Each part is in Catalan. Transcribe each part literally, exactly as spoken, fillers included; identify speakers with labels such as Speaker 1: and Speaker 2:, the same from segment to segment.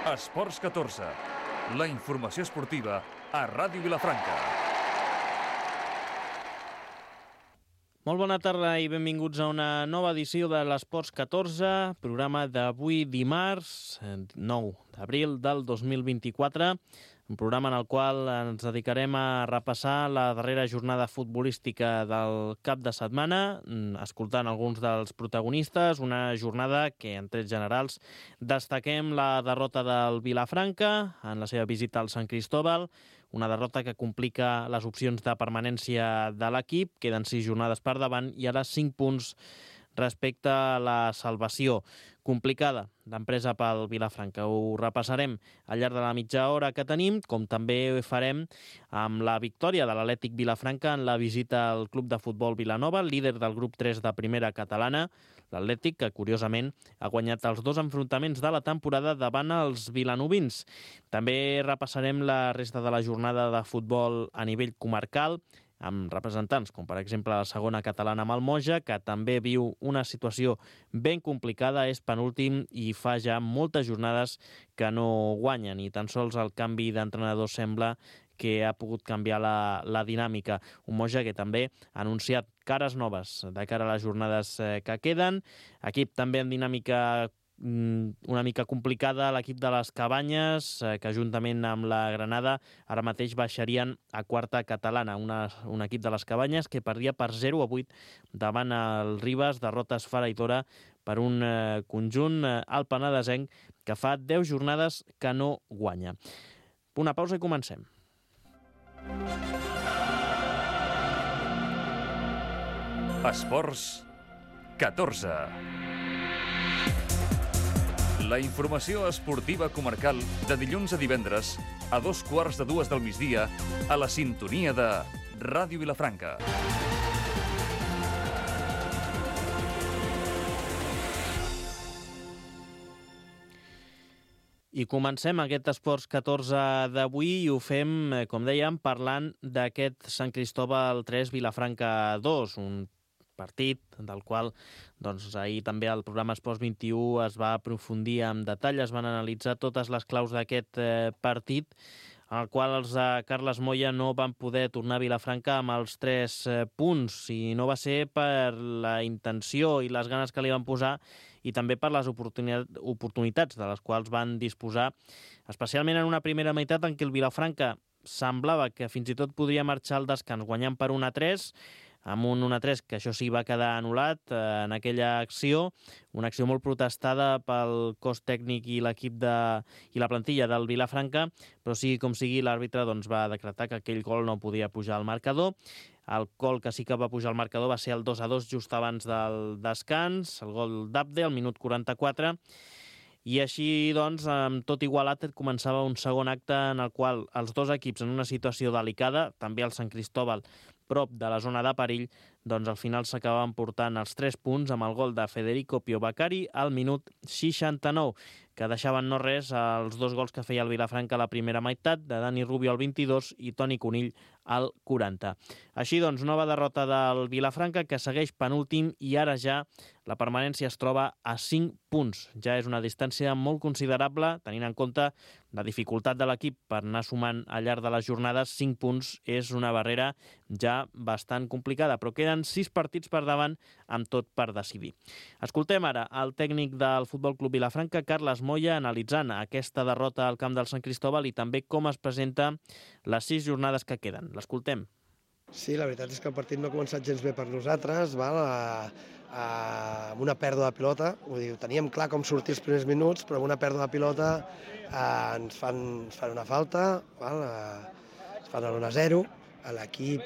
Speaker 1: Esports catorze, la informació esportiva a Ràdio Vilafranca.
Speaker 2: Molt bona tarda i benvinguts a una nova edició de l'Esports catorze, programa d'avui dimarts, nou d'abril del dos mil vint-i-quatre, un programa en el qual ens dedicarem a repassar la darrera jornada futbolística del cap de setmana, escoltant alguns dels protagonistes, una jornada que, en trets generals, destaquem la derrota del Vilafranca en la seva visita al Sant Cristóbal, una derrota que complica les opcions de permanència de l'equip, queden sis jornades per davant i ara cinc punts respecte a la salvació. Complicada d'empresa pel Vilafranca. Ho repassarem al llarg de la mitja hora que tenim, com també farem amb la victòria de l'Atlètic Vilafranca en la visita al Club de Futbol Vilanova, líder del grup tres de primera catalana. L'Atlètic, que curiosament ha guanyat els dos enfrontaments de la temporada davant els vilanovins. També repassarem la resta de la jornada de futbol a nivell comarcal, amb representants com per exemple la segona catalana amb el Moja, que també viu una situació ben complicada, és penúltim i fa ja moltes jornades que no guanya, ni tan sols el canvi d'entrenador sembla que ha pogut canviar la, la dinàmica. Un Moja que també ha anunciat cares noves de cara a les jornades que queden. Equip també en dinàmica una mica complicada, l'equip de les Cabanyes, que juntament amb la Granada ara mateix baixarien a quarta catalana. Una, un equip de les Cabanyes que perdia per zero a vuit davant el Ribes, derrota esfereïdora per un eh, conjunt eh, al penedesenc que fa deu jornades que no guanya. Una pausa i comencem.
Speaker 1: Esports catorze. La informació esportiva comarcal de dilluns a divendres a dos quarts de dues del migdia a la sintonia de Ràdio Vilafranca.
Speaker 2: I comencem aquest Esports catorze d'avui i ho fem, com dèiem, parlant d'aquest Sant Cristóbal tres Vilafranca dos, un partit del qual doncs, ahir també al programa Esports vint-i-u es va aprofundir en detall, es van analitzar totes les claus d'aquest eh, partit, en el qual els de Carles Moya no van poder tornar a Vilafranca amb els tres eh, punts, i no va ser per la intenció i les ganes que li van posar i també per les oportunitats de les quals van disposar, especialment en una primera meitat en què el Vilafranca semblava que fins i tot podria marxar al descans guanyant per un a tres, amb un un a tres que això sí va quedar anul·lat eh, en aquella acció, una acció molt protestada pel cos tècnic i l'equip de i la plantilla del Vilafranca, però sigui com sigui l'àrbitre doncs, va decretar que aquell gol no podia pujar al marcador. El gol que sí que va pujar al marcador va ser el dos a dos just abans del descans, el gol d'Abde al minut quaranta-quatre, i així, doncs, amb tot igualat, començava un segon acte en el qual els dos equips en una situació delicada, també el Sant Cristóbal prop de la zona de perill, doncs al final s'acabaven portant els tres punts amb el gol de Federico Piovacari al minut seixanta-nou, que deixaven no res als dos gols que feia el Vilafranca a la primera meitat, de Dani Rubio al vint-i-dos i Toni Conill al quaranta. Així doncs, nova derrota del Vilafranca, que segueix penúltim i ara ja la permanència es troba a cinc punts. Ja és una distància molt considerable, tenint en compte la dificultat de l'equip per anar sumant al llarg de les jornades. Cinc punts és una barrera ja bastant complicada, però queden sis partits per davant amb tot per decidir. Escoltem ara el tècnic del Futbol Club Vilafranca, Carles Moya, analitzant aquesta derrota al camp del Sant Cristóbal i també com es presenta les sis jornades que queden. L'escoltem.
Speaker 3: Sí, la veritat és que el partit no ha començat gens bé per nosaltres, val? A, a, amb una pèrdua de pilota, ho diu, teníem clar com sortir els primers minuts, però amb una pèrdua de pilota eh, ens, fan, ens fan una falta, val? Eh, ens fan l'un a zero, a l'equip,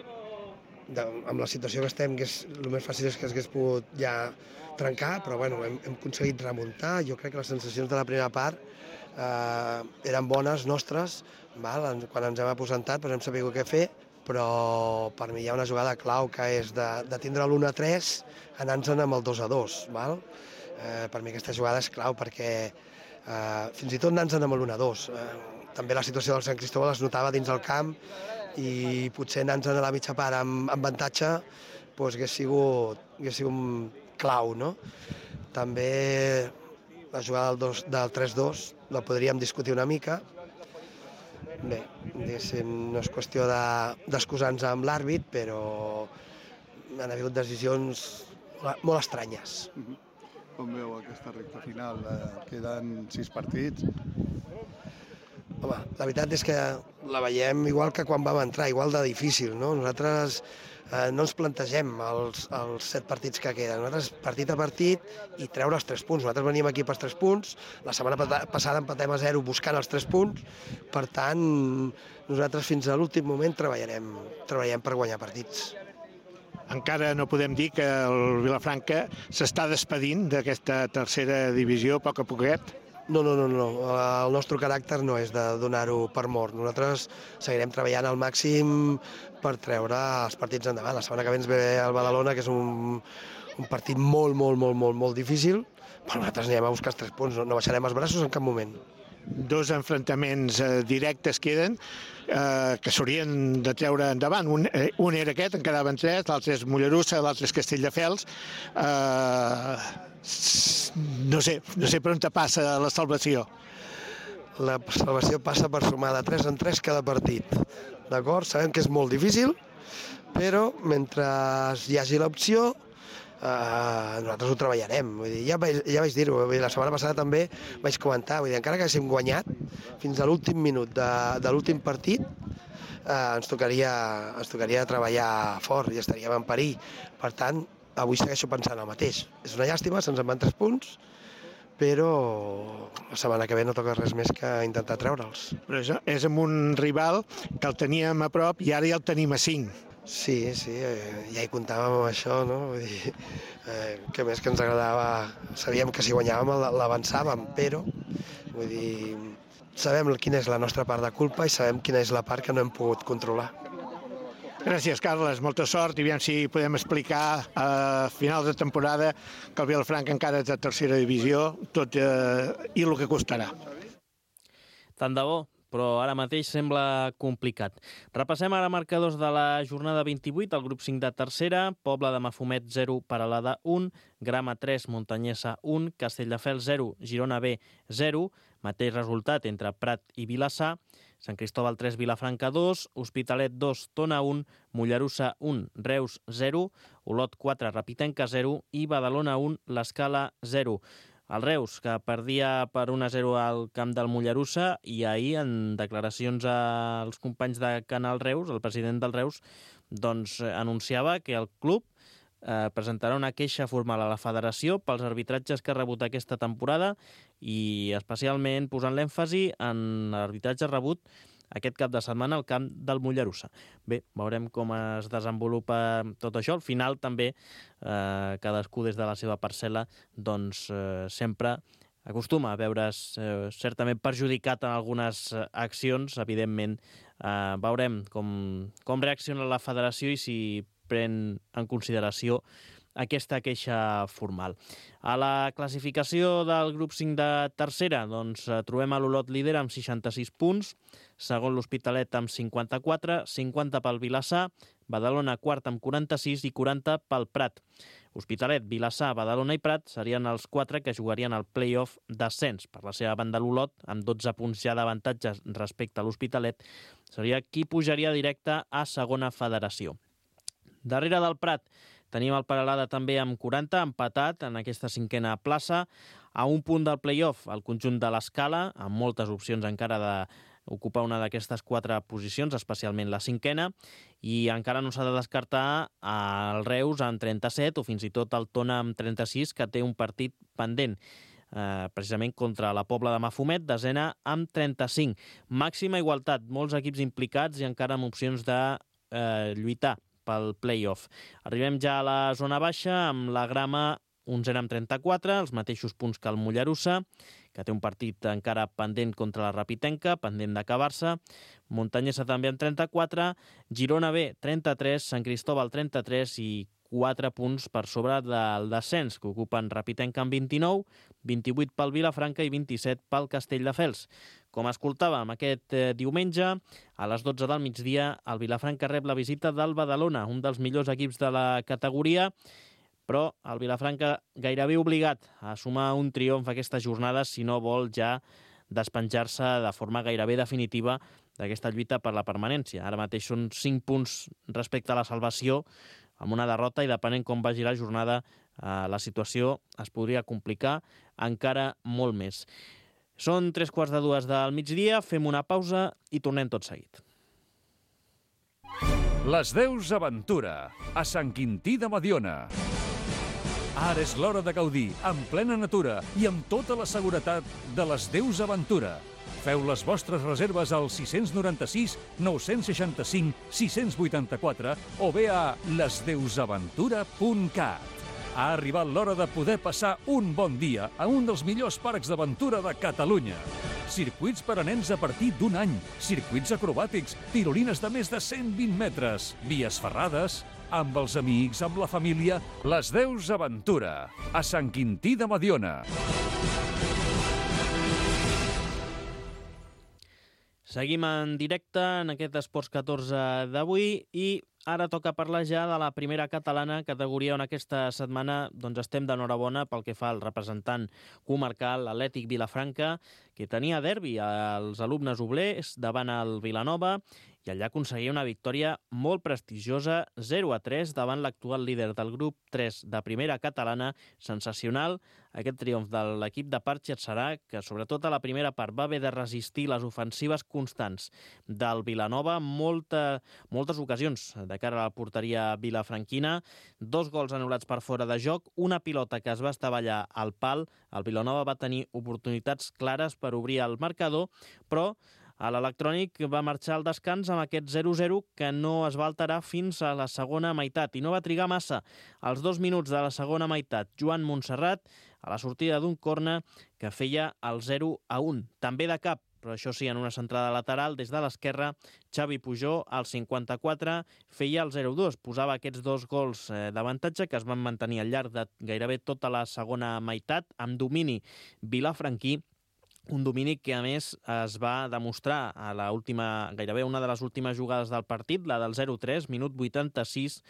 Speaker 3: de, amb la situació que estem, que és, el més fàcil és que s'hagués pogut ja trencar, però bueno, hem, hem aconseguit remuntar. Jo crec que les sensacions de la primera part eh, eren bones nostres, val? Quan ens hem aposentat doncs hem sabut què fer, però per mi hi ha una jugada clau que és de, de tindre l'un a tres anant-se'n amb el dos a dos. Val? Eh, per mi aquesta jugada és clau perquè eh, fins i tot anant-se'n amb l'un a dos. Eh, també la situació del Sant Cristóbal es notava dins el camp i potser anant-se'n a la mitja part amb, amb avantatge doncs hagués sigut, hagués sigut clau. No? També la jugada del, del tres dos la podríem discutir una mica. Bé, no és qüestió d'excusar-nos amb l'àrbit, però han hagut decisions molt estranyes.
Speaker 4: Com veu aquesta recta final? Queden sis partits.
Speaker 3: Home, la veritat és que la veiem igual que quan vam entrar, igual de difícil, no? Nosaltres eh, no ens plantegem els, els set partits que queden. Nosaltres partit a partit i treure els tres punts. Nosaltres venim aquí pels tres punts, la setmana passada empatem a zero buscant els tres punts, per tant, nosaltres fins a l'últim moment treballarem, treballarem per guanyar partits.
Speaker 5: Encara no podem dir que el Vilafranca s'està despedint d'aquesta tercera divisió a poc a poquet?
Speaker 3: No, no, no, no. El nostre caràcter no és de donar-ho per mort. Nosaltres seguirem treballant al màxim per treure els partits endavant. La setmana que ve ens ve el Badalona, que és un, un partit molt, molt, molt, molt, molt difícil, però nosaltres anirem a buscar els tres punts, no, no baixarem els braços en cap moment.
Speaker 5: Dos enfrontaments eh, directes queden eh, que s'haurien de treure endavant. Un, eh, un era aquest, en quedaven tres, l'altre és Mollerussa, l'altre és Castelldefels. Eh, no sé, no sé per on te passa la salvació.
Speaker 3: La salvació passa per sumar de tres en tres cada partit. D'acord? Sabem que és molt difícil, però mentre hi hagi l'opció, Uh, nosaltres ho treballarem. Vull dir, ja, vaig, ja vaig dir-ho, la setmana passada també vaig comentar, vull dir, encara que haguéssim guanyat fins a l'últim minut de, de l'últim partit, uh, ens, tocaria, ens tocaria treballar fort i estaríem en perill. Per tant, avui segueixo pensant el mateix. És una llàstima, se'ns en van tres punts, però la setmana que ve no toca res més que intentar treure'ls.
Speaker 5: Però és, és amb un rival que el teníem a prop i ara ja el tenim a cinc.
Speaker 3: Sí, sí, eh, ja hi comptàvem amb això, no? Vull dir, eh, que més que ens agradava, sabíem que si guanyàvem l'avançàvem, però vull dir, sabem quina és la nostra part de culpa i sabem quina és la part que no hem pogut controlar.
Speaker 5: Gràcies, Carles, molta sort i aviam si podem explicar a final de temporada que el Vilafranca encara és de tercera divisió, tot eh, i el que costarà.
Speaker 2: Tant de bo, però ara mateix sembla complicat. Repassem ara marcadors de la jornada vint-i-vuit, el grup cinc de tercera, Pobla de Mafumet zero, Peralada un, Grama tres, Montanyesa un, Castelldefels zero, Girona B zero, mateix resultat entre Prat i Vilassar, Sant Cristòbal tres, Vilafranca dos, Hospitalet dos, Tona un, Mollerussa un, Reus zero, Olot quatre, Rapitenca zero i Badalona un, l'Escala zero. El Reus, que perdia per un a zero al camp del Mollerussa, i ahir, en declaracions als companys de Canal Reus, el president del Reus, doncs anunciava que el club eh, presentarà una queixa formal a la federació pels arbitratges que ha rebut aquesta temporada i especialment posant l'èmfasi en l'arbitratge rebut aquest cap de setmana al camp del Mollerussa. Bé, veurem com es desenvolupa tot això. Al final també eh, cadascú des de la seva parcel·la doncs eh, sempre acostuma a veure's eh, certament perjudicat en algunes accions. Evidentment eh, veurem com, com reacciona la federació i si pren en consideració aquesta queixa formal. A la classificació del grup cinc de tercera, doncs trobem a l'Olot líder amb seixanta-sis punts, segon l'Hospitalet amb cinquanta-quatre, cinquanta pel Vilassar, Badalona quart amb quaranta-sis i quaranta pel Prat. Hospitalet, Vilassar, Badalona i Prat serien els quatre que jugarien al play-off d'ascens. Per la seva banda l'Olot, amb dotze punts ja d'avantatges respecte a l'Hospitalet, seria qui pujaria directe a segona federació. Darrere del Prat tenim el Peralada també amb quaranta, empatat en aquesta cinquena plaça. A un punt del play-off, el conjunt de l'Escala, amb moltes opcions encara d'ocupar una d'aquestes quatre posicions, especialment la cinquena, i encara no s'ha de descartar el Reus amb trenta-set o fins i tot el Tona amb trenta-sis, que té un partit pendent, eh, precisament contra la Pobla de Mafumet, desena amb trenta-cinc. Màxima igualtat, molts equips implicats i encara amb opcions de eh, lluitar pel play-off. Arribem ja a la zona baixa amb la Grama onzena amb trenta-quatre, els mateixos punts que el Mollerussa, que té un partit encara pendent contra la Rapitenca, pendent d'acabar-se. Montanyesa també amb trenta-quatre, Girona B trenta-tres, Sant Cristòbal trenta-tres i quatre punts per sobre del descens, que ocupen Rapitenca amb vint-i-nou, vint-i-vuit pel Vilafranca i vint-i-set pel Castelldefels. Com escoltàvem aquest eh, diumenge, a les dotze del migdia, el Vilafranca rep la visita del Badalona, un dels millors equips de la categoria, però el Vilafranca gairebé obligat a sumar un triomf aquesta jornada si no vol ja despenjar-se de forma gairebé definitiva d'aquesta lluita per la permanència. Ara mateix són cinc punts respecte a la salvació, amb una derrota, i depenent com vagi la jornada, eh, la situació es podria complicar encara molt més. Són tres quarts de dues del migdia, fem una pausa i tornem tot seguit.
Speaker 1: Les Deus Aventura, a Sant Quintí de Mediona. Ara és l'hora de gaudir, en plena natura i amb tota la seguretat de les Deus Aventura. Feu les vostres reserves al sis nou sis, nou seixanta cinc, sis vuitanta quatre o bé a les deus aventura punt cat. Ha arribat l'hora de poder passar un bon dia a un dels millors parcs d'aventura de Catalunya. Circuits per a nens a partir d'un any, circuits acrobàtics, tirolines de més de cent vint metres, vies ferrades, amb els amics, amb la família. Les Deus Aventura, a Sant Quintí de Mediona.
Speaker 2: Seguim en directe en aquest Esports catorze d'avui i ara toca parlar ja de la primera catalana, categoria on aquesta setmana doncs, estem d'enhorabona pel que fa al representant comarcal, l'Atlètic Vilafranca, que tenia derbi als alumnes oblers davant el Vilanova i allà aconseguia una victòria molt prestigiosa, zero a tres, davant l'actual líder del grup tres de primera catalana. Sensacional aquest triomf de l'equip de Parchi Adserà, que sobretot a la primera part va haver de resistir les ofensives constants del Vilanova, molta, moltes ocasions de cara a la porteria vilafranquina, dos gols anul·lats per fora de joc, una pilota que es va estavellar al pal. El Vilanova va tenir oportunitats clares per obrir el marcador, però a l'Electrònic va marxar al descans amb aquest zero zero que no es va alterar fins a la segona meitat i no va trigar massa. Als dos minuts de la segona meitat, Joan Montserrat, a la sortida d'un córner que feia el zero a un. També de cap, però això sí, en una centrada lateral des de l'esquerra, Xavi Pujol, al cinquanta-quatre, feia el zero dos. Posava aquests dos gols d'avantatge que es van mantenir al llarg de gairebé tota la segona meitat, amb domini vilafranquí, un domini que, a més, es va demostrar a la última, gairebé una de les últimes jugades del partit, la del zero tres, minut vuitanta-sis,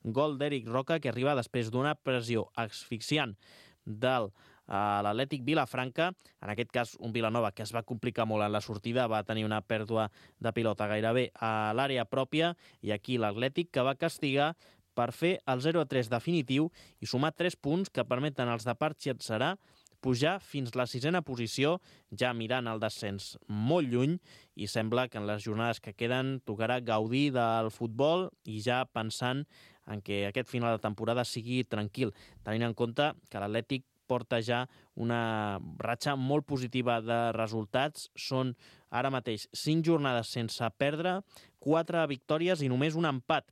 Speaker 2: gol d'Eric Roca, que arriba després d'una pressió asfixiant del a l'Atlètic Vilafranca, en aquest cas un Vilanova que es va complicar molt en la sortida, va tenir una pèrdua de pilota gairebé a l'àrea pròpia, i aquí l'Atlètic que va castigar per fer el zero a tres definitiu i sumar tres punts que permeten als de Parchi Adserà pujar fins la sisena posició, ja mirant el descens molt lluny, i sembla que en les jornades que queden tocarà gaudir del futbol i ja pensant en que aquest final de temporada sigui tranquil, tenint en compte que l'Atlètic porta ja una ratxa molt positiva de resultats. Són ara mateix cinc jornades sense perdre, quatre victòries i només un empat.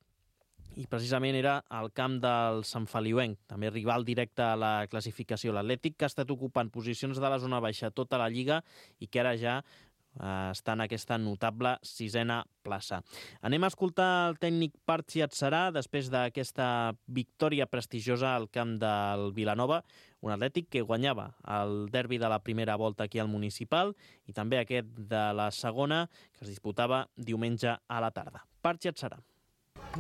Speaker 2: I precisament era al camp del Sant Feliuenc, també rival directe a la classificació. L'Atlètic, que ha estat ocupant posicions de la zona baixa tota la Lliga i que ara ja eh, està en aquesta notable sisena plaça. Anem a escoltar el tècnic Parchi Adserà després d'aquesta victòria prestigiosa al camp del Vilanova, un Atlètic que guanyava el derbi de la primera volta aquí al Municipal i també aquest de la segona, que es disputava diumenge a la tarda. Parchi Adserà.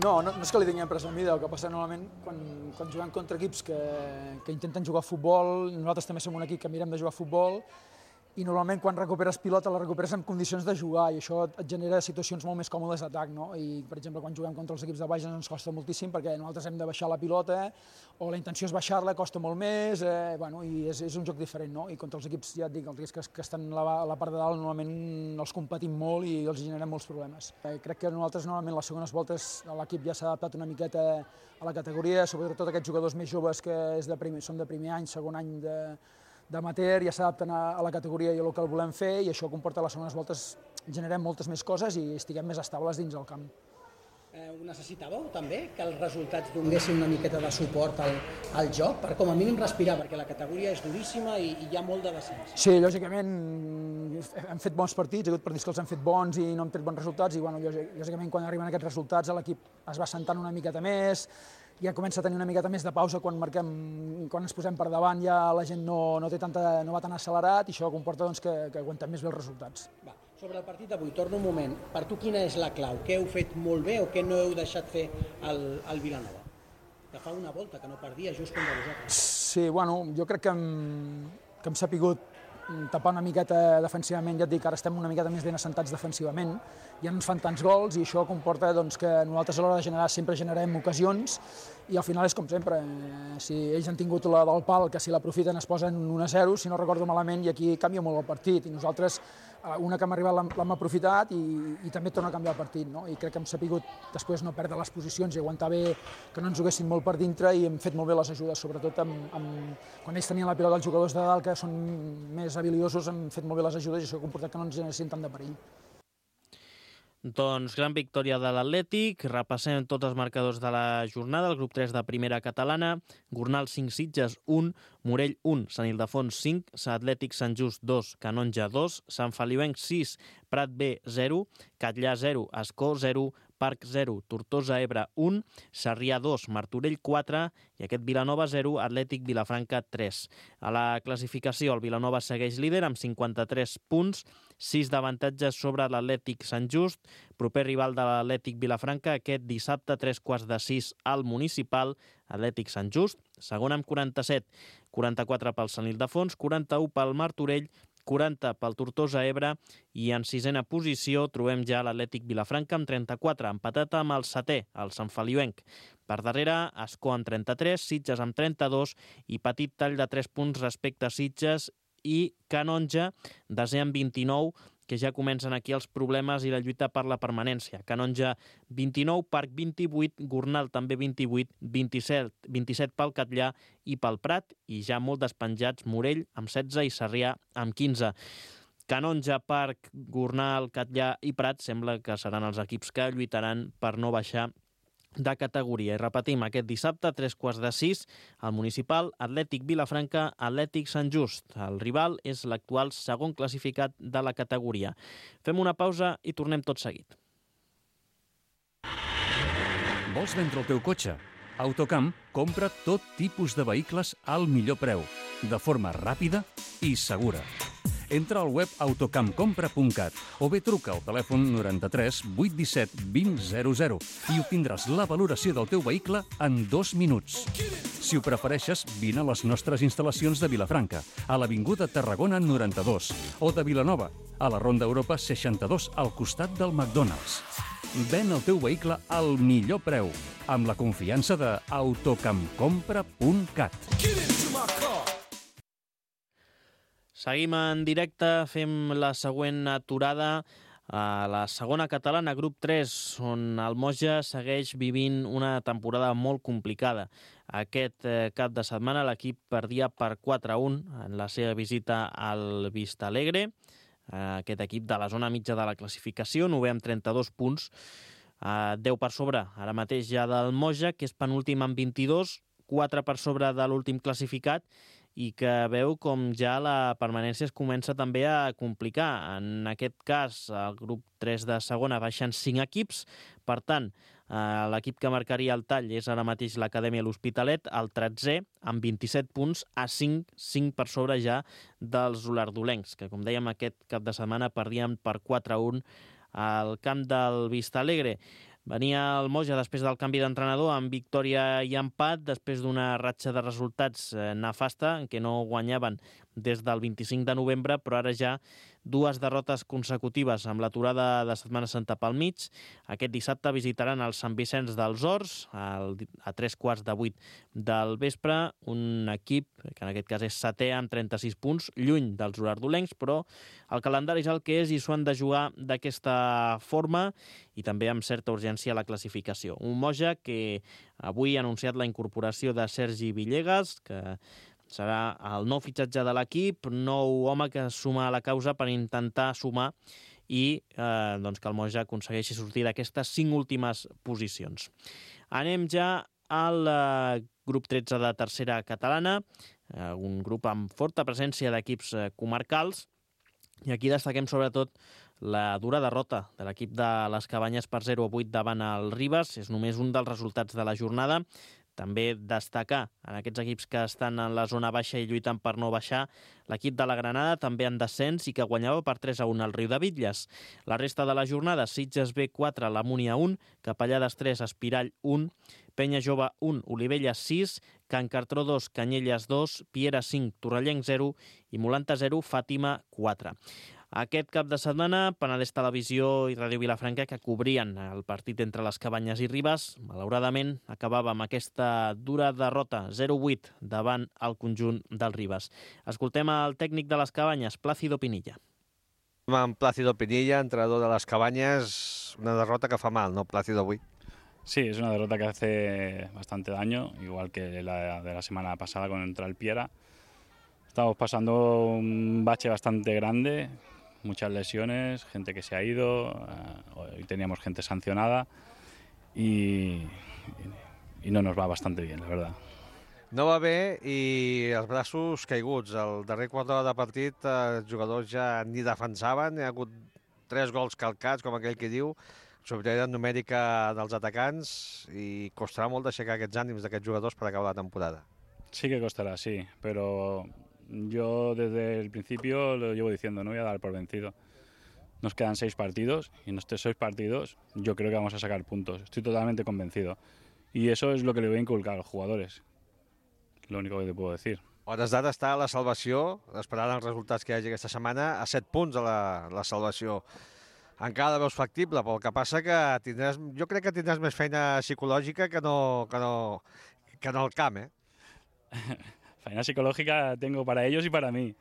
Speaker 6: No, no, no és que li tinguem presa a mida, el que passa normalment quan, quan juguem contra equips que, que intenten jugar a futbol, nosaltres també som un equip que mirem de jugar a futbol, i normalment quan recuperes pilota la recuperes en condicions de jugar i això et genera situacions molt més còmodes d'atac, no? I, per exemple, quan juguem contra els equips de baix ens costa moltíssim perquè nosaltres hem de baixar la pilota o la intenció és baixar-la, costa molt més, eh, bueno, i és, és un joc diferent, no? I contra els equips, ja et dic, els equips que, que estan a la, a la part de dalt normalment els competim molt i els generem molts problemes. Eh, crec que nosaltres normalment les segones voltes l'equip ja s'ha adaptat una miqueta a la categoria, sobretot aquests jugadors més joves que és de primer, són de primer any, segon any de d'amateur, ja s'adapten a la categoria i el que el volem fer, i això comporta a les segones voltes generem moltes més coses i estiguem més estables dins el camp.
Speaker 7: Eh, ho necessitàveu també, que els resultats donessin una miqueta de suport al, al joc, per com a mínim respirar, perquè la categoria és duríssima i, i hi ha molt de descens.
Speaker 6: Sí, lògicament hem fet bons partits, hi ha hagut partits que els han fet bons i no hem tret bons resultats, i bueno, lògicament quan arriben aquests resultats l'equip es va sentant una miqueta més, ja comença a tenir una miqueta més de pausa quan marquem, quan ens posem per davant, ja la gent no, no, té tanta, no va tan accelerat i això comporta doncs, que, que aguantem més bé els resultats. Va,
Speaker 7: sobre el partit d'avui, torno un moment, per tu quina és la clau? Què heu fet molt bé o què no heu deixat fer al, al Vilanova? Que fa una volta que no perdia just contra vosaltres.
Speaker 6: Sí, bueno, jo crec que hem, que hem sapigut tapar una miqueta defensivament, ja et dic, ara estem una miqueta més ben assentats defensivament, ja no ens fan tants gols i això comporta doncs, que nosaltres a l'hora de generar sempre generem ocasions i al final és com sempre, si ells han tingut la del pal, que si l'aprofiten es posen un a zero, si no recordo malament, i aquí canvia molt el partit, i nosaltres una que hem arribat l'hem aprofitat i, i també torna a canviar el partit, no? I crec que hem sapigut després no perdre les posicions i aguantar bé que no ens juguessin molt per dintre i hem fet molt bé les ajudes, sobretot amb, amb, quan ells tenien la pilota, els jugadors de dalt que són més habilidosos, hem fet molt bé les ajudes i això ha comportat que no ens generessin tant de perill.
Speaker 2: Doncs gran victòria de l'Atlètic. Repassem tots els marcadors de la jornada. El grup tres de primera catalana. Gornal cinc, Sitges un, Morell un, Sant Ildefons cinc, Atlètic Sant Just dos, Canonja dos, Sant Feliuenc sis, Prat B zero, Catllà zero, Ascó zero, Parc zero, Tortosa Ebre un, Sarrià dos, Martorell quatre i aquest Vilanova zero, Atlètic Vilafranca tres. A la classificació el Vilanova segueix líder amb cinquanta-tres punts, sis d'avantatges sobre l'Atlètic Sant Just, proper rival de l'Atlètic Vilafranca aquest dissabte tres quarts de sis al Municipal, Atlètic Sant Just, segon amb quaranta-set, quaranta-quatre pel Sant Ildefons, quaranta-u pel Martorell, quaranta pel Tortosa Ebre i en sisena posició trobem ja l'Atlètic Vilafranca amb trenta-quatre, empatat amb el setè, el Sant Feliuenc. Per darrere, Ascó amb trenta-tres, Sitges amb trenta-dos i petit tall de tres punts respecte a Sitges i Canonja, desè amb vint-i-nou, que ja comencen aquí els problemes i la lluita per la permanència. Canonja vint-i-nou, Parc vint-i-vuit, Gornal també vint-i-vuit, vint-i-set, vint-i-set pel Catllà i pel Prat, i ja molt despenjats Morell amb setze i Sarrià amb quinze. Canonja, Parc, Gornal, Catllà i Prat sembla que seran els equips que lluitaran per no baixar de categoria. I repetim, aquest dissabte, tres quarts de sis, al Municipal, Atlètic Vilafranca, Atlètic Sant Just. El rival és l'actual segon classificat de la categoria. Fem una pausa i tornem tot seguit.
Speaker 1: Vols vendre el teu cotxe? Autocamp compra tot tipus de vehicles al millor preu, de forma ràpida i segura. Entra al web autocamp compra punt cat o bé truca al telèfon noranta-tres vuit disset vint zero zero i obtindràs la valoració del teu vehicle en dos minuts. Si ho prefereixes, vine a les nostres instal·lacions de Vilafranca, a l'Avinguda Tarragona noranta-dos, o de Vilanova, a la Ronda Europa seixanta-dos, al costat del McDonald's. Ven el teu vehicle al millor preu, amb la confiança de autocamp compra punt cat.
Speaker 2: Seguim en directe, fem la següent aturada a la segona catalana, grup tres, on el Moja segueix vivint una temporada molt complicada. Aquest cap de setmana l'equip perdia per quatre a un en la seva visita al Vistalegre, aquest equip de la zona mitja de la classificació, novè amb trenta-dos punts, deu per sobre ara mateix ja del Moja, que és penúltim amb vint-i-dos, quatre per sobre de l'últim classificat, i que veu com ja la permanència es comença també a complicar. En aquest cas, el grup tres de segona baixen cinc equips, per tant, l'equip que marcaria el tall és ara mateix l'Acadèmia L'Hospitalet, el tretzè, amb vint-i-set punts, a cinc, cinc per sobre ja dels olardolencs, que com dèiem aquest cap de setmana perdien per quatre a un al camp del Vistalegre. Venia el Moja després del canvi d'entrenador amb victòria i empat, després d'una ratxa de resultats nefasta, en què no guanyaven des del vint-i-cinc de novembre, però ara ja dues derrotes consecutives amb l'aturada de Setmana Santa pel mig. Aquest dissabte visitaran el Sant Vicenç dels Horts a tres quarts de vuit del vespre, un equip que en aquest cas és setè amb trenta-sis punts, lluny dels olardolencs, però el calendari és el que és i s'ho han de jugar d'aquesta forma i també amb certa urgència a la classificació. Un Moja que avui ha anunciat la incorporació de Sergi Villegas, que serà el nou fitxatge de l'equip, nou home que es suma a la causa per intentar sumar i eh, doncs que el Moja aconsegueixi sortir d'aquestes cinc últimes posicions. Anem ja al eh, grup tretze de tercera catalana, eh, un grup amb forta presència d'equips eh, comarcals, i aquí destaquem sobretot la dura derrota de l'equip de les Cabanyes per zero a vuit davant el Ribes. És només un dels resultats de la jornada. També destacar en aquests equips que estan en la zona baixa i lluitant per no baixar, l'equip de la Granada també en descens i que guanyava per tres a un al Riudebitlles. La resta de la jornada, Sitges B quatre, la Múnia un, Capellades tres, Espirall un, Penya Jove un, Olivella sis, Can Cartró dos, Canyelles dos, Piera cinc, Torrellenc zero i Molanta zero, Fàtima quatre. Aquest cap de setmana, Penedès Televisió i Ràdio Vilafranca, que cobrien el partit entre les Cabanyes i Ribes, malauradament acabava amb aquesta dura derrota zero vuit davant el conjunt del Ribes. Escoltem el tècnic de les Cabanyes, Plácido Pinilla.
Speaker 8: Amb Plácido Pinilla, entrenador de les Cabanyes, una derrota que fa mal, ¿no, Plácido, avui?
Speaker 9: Sí, es una derrota que hace bastante daño, igual que la de la semana pasada contra el Piera. Estamos pasando un bache bastante grande, muchas lesiones, gente que se ha ido, hoy teníamos gente sancionada y, y no nos va bastante bien, la verdad.
Speaker 8: No va bé i els braços caiguts. Al darrer quart d'hora de partit els jugadors ja ni defensaven, hi ha hagut tres gols calcats, com aquell que diu, superioritat numèrica dels atacants i costarà molt d'aixecar aquests ànims d'aquests jugadors per acabar la temporada.
Speaker 9: Sí que costará, sí, pero yo desde el principio lo llevo diciendo, no voy a dar por vencido. Nos quedan seis partidos y en estos seis partidos yo creo que vamos a sacar puntos. Estoy totalmente convencido. Y eso es lo que le voy a inculcar a los jugadores. Lo único que te puedo decir.
Speaker 8: A hores d'ara està la salvació, esperant els resultats que hi hagi aquesta setmana, a set punts a la, la salvació. Encara la veus factible, però el que passa que tindràs, jo crec que tindràs més feina psicològica que no, que no, que no al camp, eh?
Speaker 9: Faena psicológica tengo para ellos y para mí,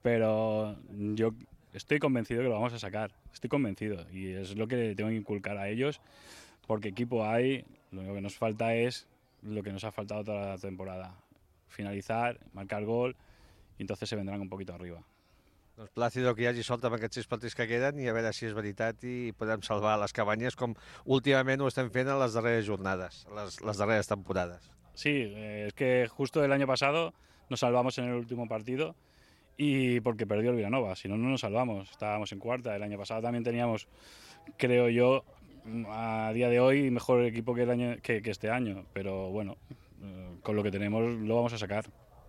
Speaker 9: pero yo estoy convencido que lo vamos a sacar, estoy convencido y es lo que tengo que inculcar a ellos, porque equipo hay, lo único que nos falta es lo que nos ha faltado toda la temporada, finalizar, marcar gol y entonces se vendrán un poquito arriba.
Speaker 8: Doncs Plácido, que hi hagi sort amb aquests sis partits que queden i a veure si és veritat i podem salvar les Cabanyes com últimament ho estem fent en les darreres jornades, les, les darreres temporades.
Speaker 9: Sí, eh, es que justo el año pasado nos salvamos en el último partido y porque perdió el Vilanova, si no, no nos salvamos, estábamos en cuarta. El año pasado también teníamos, creo yo, a día de hoy, mejor equipo que, el año, que, que este año, pero bueno, eh, con lo que tenemos lo vamos a sacar.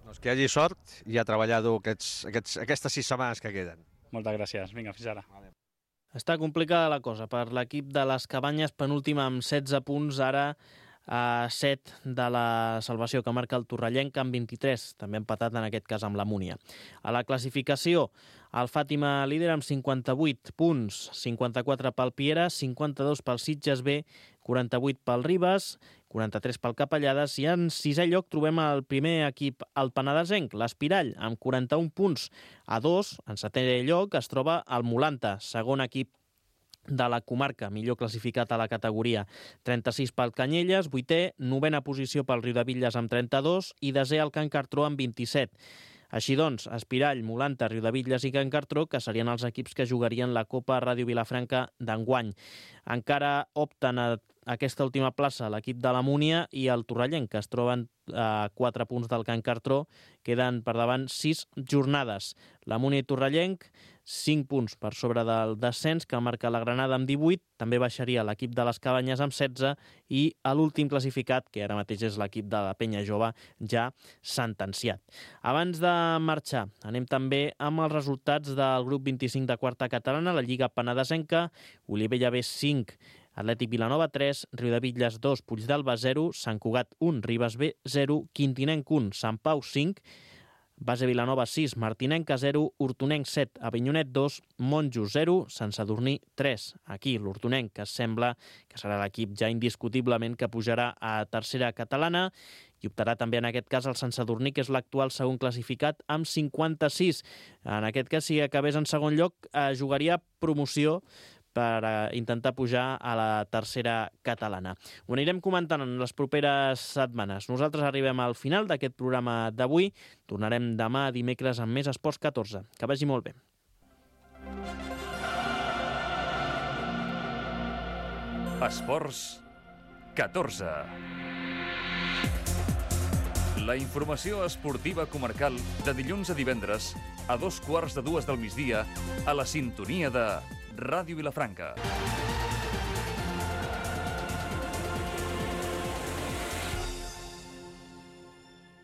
Speaker 8: Doncs que hi hagi sort i a treballar dur aquests, aquests, aquestes sis setmanes que queden.
Speaker 9: Moltes gràcies, vinga, fins ara.
Speaker 8: Vale.
Speaker 2: Està complicada la cosa per l'equip de les Cabanyes, penúltima amb setze punts, ara a set de la salvació que marca el Torrellenc amb vint-i-tres, també empatat en aquest cas amb la Múnia. A la classificació, el Fàtima líder amb cinquanta-vuit punts, cinquanta-quatre pel Piera, cinquanta-dos pel Sitges B, quaranta-vuit pel Ribes, quaranta-tres pel Capellades i en sisè lloc trobem el primer equip, el penedesenc, l'Espirall, amb quaranta-un punts. A dos, en setè lloc, es troba el Molanta, segon equip de la comarca, millor classificat a la categoria. trenta-sis pel Canyelles, vuitè, novena posició pel Riudebitlles amb trenta-dos i desè el Can Cartró amb vint-i-set. Així doncs, Espirall, Molanta, Riudebitlles i Can Cartró, que serien els equips que jugarien la Copa Ràdio Vilafranca d'enguany. Encara opten a aquesta última plaça l'equip de la Múnia i el Torrellenc, que es troben a quatre punts del Can Cartró. Queden per davant sis jornades. La Múnia i Torrellenc, cinc punts per sobre del descens, que marca la Granada amb divuit. També baixaria l'equip de les Cabanyes amb setze i l'últim classificat, que ara mateix és l'equip de la Penya Jove, ja sentenciat. Abans de marxar, anem també amb els resultats del grup vint-i-cinc de quarta catalana, la Lliga Penedesenca, Olivella B cinc, Atlètic Vilanova tres, Riudebitlles dos, Puigdàlber zero, Sant Cugat un, Ribes B zero, Quintinenc un, Sant Pau cinc, Base Vilanova sis, Martinenca zero, Hortonenc set, Avinyonet dos, Monjos zero, Sant Sadurní tres. Aquí l'Hortonenc, que sembla que serà l'equip ja indiscutiblement que pujarà a tercera catalana i optarà també en aquest cas el Sant Sadurní, que és l'actual segon classificat, amb cinquanta-sis. En aquest cas, si acabés en segon lloc, eh, jugaria promoció per intentar pujar a la tercera catalana. Ho anirem comentant en les properes setmanes. Nosaltres arribem al final d'aquest programa d'avui. Tornarem demà dimecres amb més Esports catorze. Que vagi molt bé.
Speaker 1: Esports catorze. La informació esportiva comarcal de dilluns a divendres a dos quarts de dues del migdia a la sintonia de Ràdio Vilafranca.